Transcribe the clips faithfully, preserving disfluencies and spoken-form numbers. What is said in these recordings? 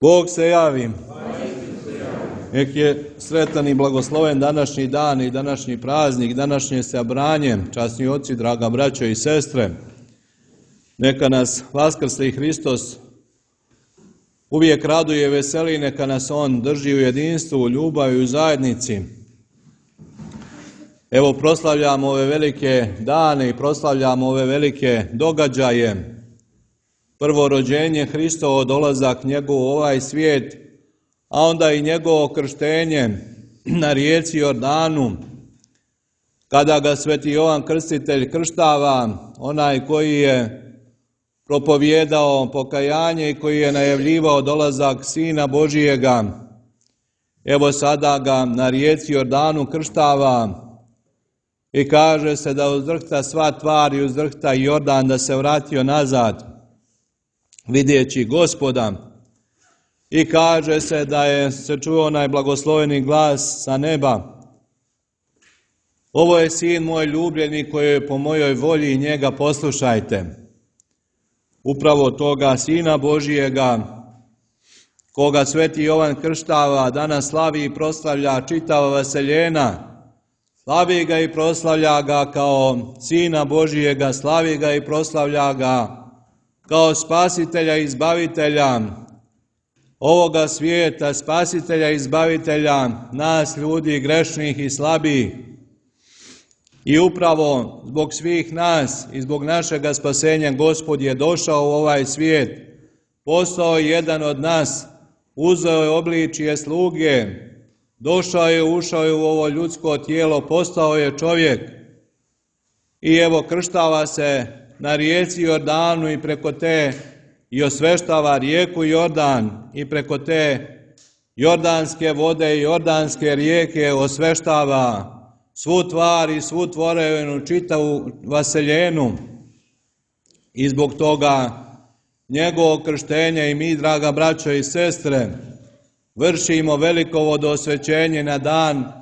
Bog se javi. Nek je sretan i blagosloven današnji dan i današnji praznik, današnje sabranje, časni oci, draga braćo i sestre. Neka nas vaskrsli Hristos uvijek raduje i veseli, neka nas On drži u jedinstvu, u ljubavi i u zajednici. Evo proslavljamo ove velike dane i proslavljamo ove velike događaje. Prvo rođenje Hristovo, dolazak njegov u ovaj svijet, a onda i njegovo krštenje na rijeci Jordanu, kada ga sveti Jovan Krstitelj krštava, onaj koji je propovijedao pokajanje i koji je najavljivao dolazak Sina Božijega. Evo sada ga na rijeci Jordanu krštava i kaže se da uzdrhta sva tvar i uzdrhta Jordan, da se vratio nazad vidjeći Gospoda. I kaže se da je se čuo onaj blagosloveni glas sa neba: ovo je sin moj ljubljeni koji je po mojoj volji, njega poslušajte. Upravo toga Sina Božijega, koga sveti Jovan krštava, danas slavi i proslavlja čitava vaseljena. Slavi ga i proslavlja ga kao Sina Božijega, slavi ga i proslavlja ga kao spasitelja i izbavitelja ovoga svijeta, spasitelja i izbavitelja nas ljudi grešnih i slabih. I upravo zbog svih nas i zbog našega spasenja Gospod je došao u ovaj svijet, postao jedan od nas, uzeo je obličje sluge, došao je, ušao je u ovo ljudsko tijelo, postao je čovjek i evo krštava se na rijeci Jordanu i preko te i osveštava rijeku Jordan i preko te jordanske vode i jordanske rijeke osveštava svu tvar i svu tvorevinu, čitavu vaseljenu. I zbog toga njegovo krštenja i mi, draga braćo i sestre, vršimo veliko vodosvećenje na dan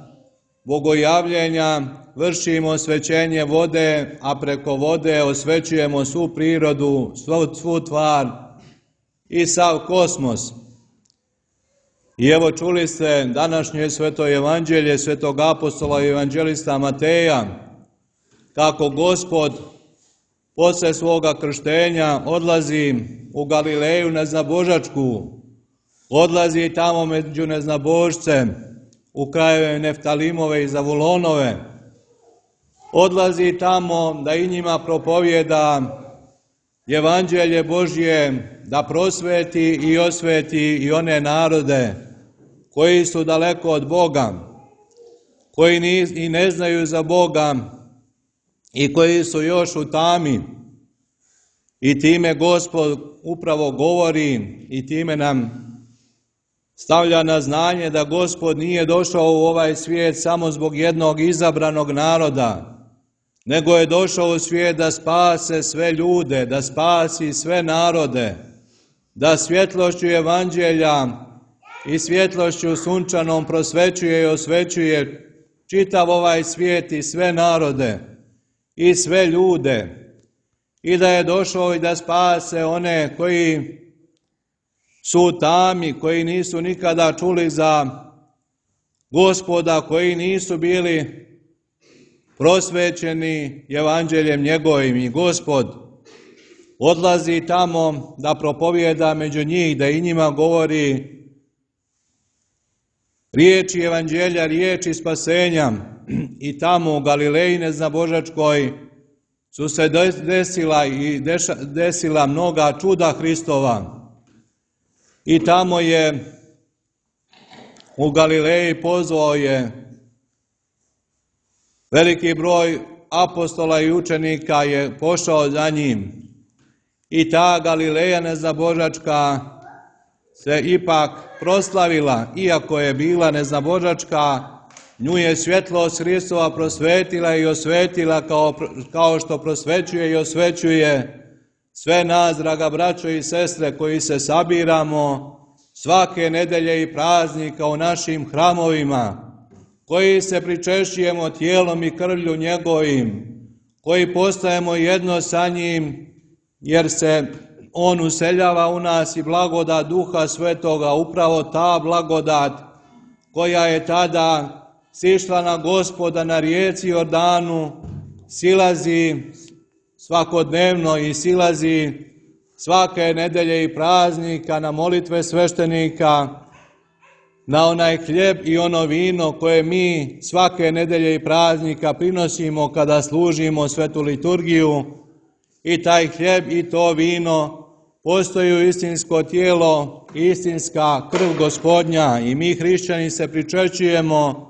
bogojavljenja, vršimo osvećenje vode, a preko vode osvećujemo svu prirodu, svu, svu tvar i sav kosmos. I evo čuli ste današnje sveto evanđelje svetog apostola i evanđelista Mateja, kako Gospod posle svoga krštenja odlazi u Galileju neznabožačku, odlazi tamo među neznabožce, u krajeve Neftalimove i Zavulonove, odlazi tamo da i njima propovijeda evanđelje Božje, da prosveti i osveti i one narode koji su daleko od Boga, koji ni, i ne znaju za Boga i koji su još u tami. I time Gospod upravo govori i time nam stavlja na znanje da Gospod nije došao u ovaj svijet samo zbog jednog izabranog naroda, nego je došao u svijet da spase sve ljude, da spasi sve narode, da svjetlošću evanđelja i svjetlošću sunčanom prosvećuje i osvećuje čitav ovaj svijet i sve narode i sve ljude, i da je došao i da spase one koji su u tami, koji nisu nikada čuli za Gospoda, koji nisu bili prosvećeni evanđeljem njegovim. I Gospod odlazi tamo da propovijeda među njih, da i njima govori riječi evanđelja, riječi spasenja. I tamo u Galileji neznabožačkoj su se desila i deša, desila mnoga čuda Hristova. I tamo je u Galileji pozvao je veliki broj apostola i učenika, je pošao za njim. I ta Galileja neznabožačka se ipak proslavila, iako je bila neznabožačka, nju je svjetlost Hristova prosvetila i osvetila kao, kao što prosvećuje i osvećuje sve nas, draga braćo i sestre, koji se sabiramo svake nedelje i praznika u našim hramovima, koji se pričešćujemo tijelom i krvlju njegovim, koji postajemo jedno sa njim, jer se On useljava u nas i blagodat Duha Svetoga, upravo ta blagodat koja je tada sišla na Gospoda na rijeci Jordanu, silazi svakodnevno i silazi svake nedelje i praznika na molitve sveštenika, na onaj hljeb i ono vino koje mi svake nedelje i praznika prinosimo kada služimo svetu liturgiju. I taj hljeb i to vino postaju istinsko tijelo, istinska krv Gospodnja i mi hrišćani se pričešćujemo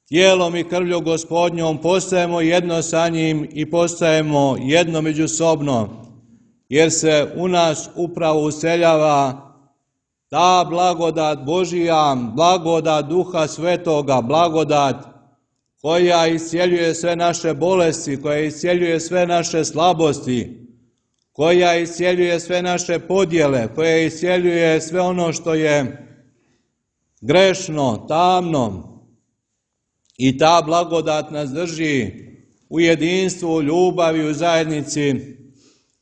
tijelom i krvlju Gospodnjom, postajemo jedno sa njim i postajemo jedno međusobno, jer se u nas upravo useljava ta blagodat Božija, blagodat Duha Svetoga, blagodat koja iscijeljuje sve naše bolesti, koja iscijeljuje sve naše slabosti, koja iscijeljuje sve naše podjele, koja iscijeljuje sve ono što je grešno, tamno. I ta blagodat nas drži u jedinstvu, u ljubavi, u zajednici,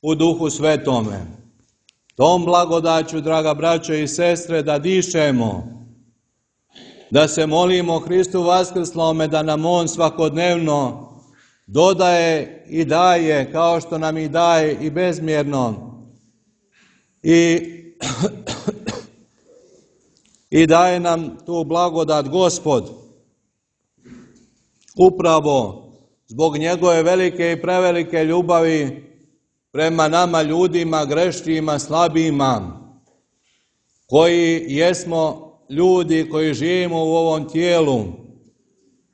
u Duhu Svetome. Tom blagodaću, draga braćo i sestre, da dišemo, da se molimo Hristu vaskrslome, da nam On svakodnevno dodaje i daje, kao što nam i daje i bezmjerno. I, i daje nam tu blagodat Gospod, upravo zbog njegove velike i prevelike ljubavi prema nama ljudima, grešnima, slabima, koji jesmo ljudi koji živimo u ovom tijelu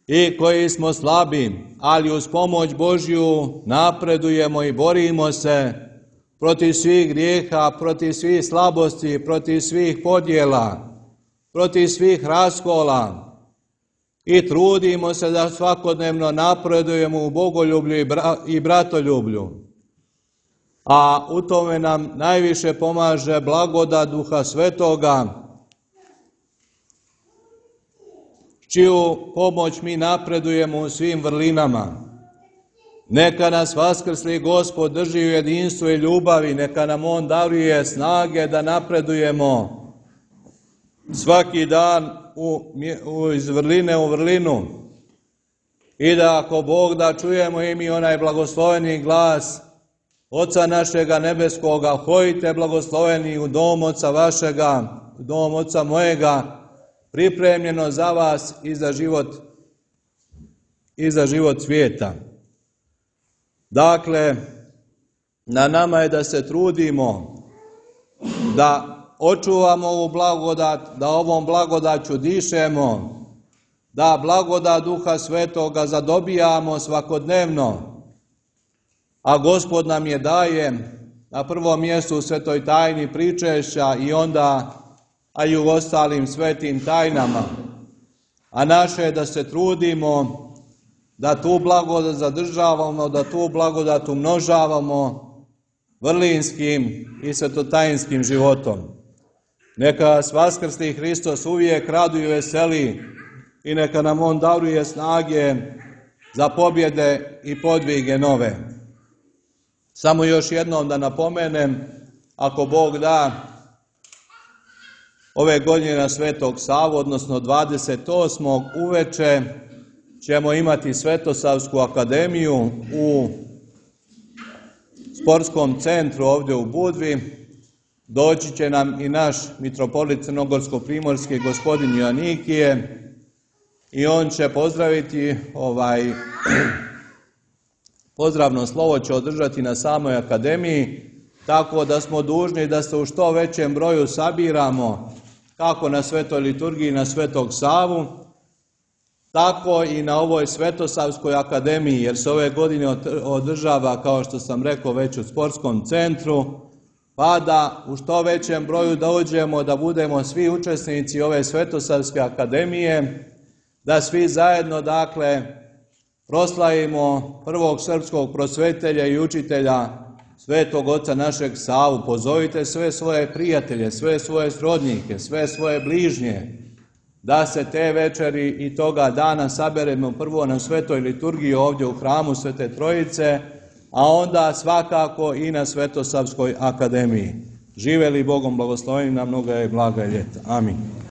i koji smo slabi, ali uz pomoć Božju napredujemo i borimo se protiv svih grijeha, protiv svih slabosti, protiv svih podjela, protiv svih raskola i trudimo se da svakodnevno napredujemo u bogoljublju i, bra- i bratoljublju. A u tome nam najviše pomaže blagodat Duha Svetoga, čiju pomoć mi napredujemo u svim vrlinama. Neka nas vaskrsli Gospod drži u jedinstvu i ljubavi, neka nam On daruje snage da napredujemo svaki dan u, u, iz vrline u vrlinu i da ako Bog da čujemo i mi onaj blagosloveni glas Oca našega nebeskoga, hojte blagosloveni u dom Oca vašega, u dom Oca mojega, pripremljeno za vas i za život, i za život svijeta. Dakle, na nama je da se trudimo, da očuvamo ovu blagodat, da ovom blagodaću dišemo, da blagodat Duha Svetoga zadobijamo svakodnevno, a Gospod nam je daje na prvom mjestu u svetoj tajni pričešća i onda a i u ostalim svetim tajnama. A naše je da se trudimo da tu blagodat zadržavamo, da tu blagodat umnožavamo vrlinskim i svetotajinskim životom. Neka vas vaskrsli Hristos uvijek raduje i veseli i neka nam On daruje snage za pobjede i podvige nove. Samo još jednom da napomenem, ako Bog da, ove godine na Svetog Savu, odnosno dvadeset osmog uveče, ćemo imati Svetosavsku akademiju u sportskom centru ovdje u Budvi. Doći će nam i naš mitropolit crnogorsko-primorski gospodin Joanikije i on će pozdraviti, ovaj, pozdravno slovo će održati na samoj akademiji, tako da smo dužni da se u što većem broju sabiramo, kako na svetoj liturgiji na Svetog Savu, tako i na ovoj Svetosavskoj akademiji, jer se ove godine održava, kao što sam rekao, već u sportskom centru, pa da u što većem broju dođemo, da budemo svi učesnici ove Svetosavske akademije, da svi zajedno, dakle, proslavimo prvog srpskog prosvetelja i učitelja, Svetog Oca našeg Savu. Pozovite sve svoje prijatelje, sve svoje srodnike, sve svoje bližnje, da se te večeri i toga dana saberemo prvo na svetoj liturgiji ovdje u hramu Svete Trojice, a onda svakako i na Svetosavskoj akademiji. Živeli Bogom blagosloveni na mnoga je blaga ljeta. Amin.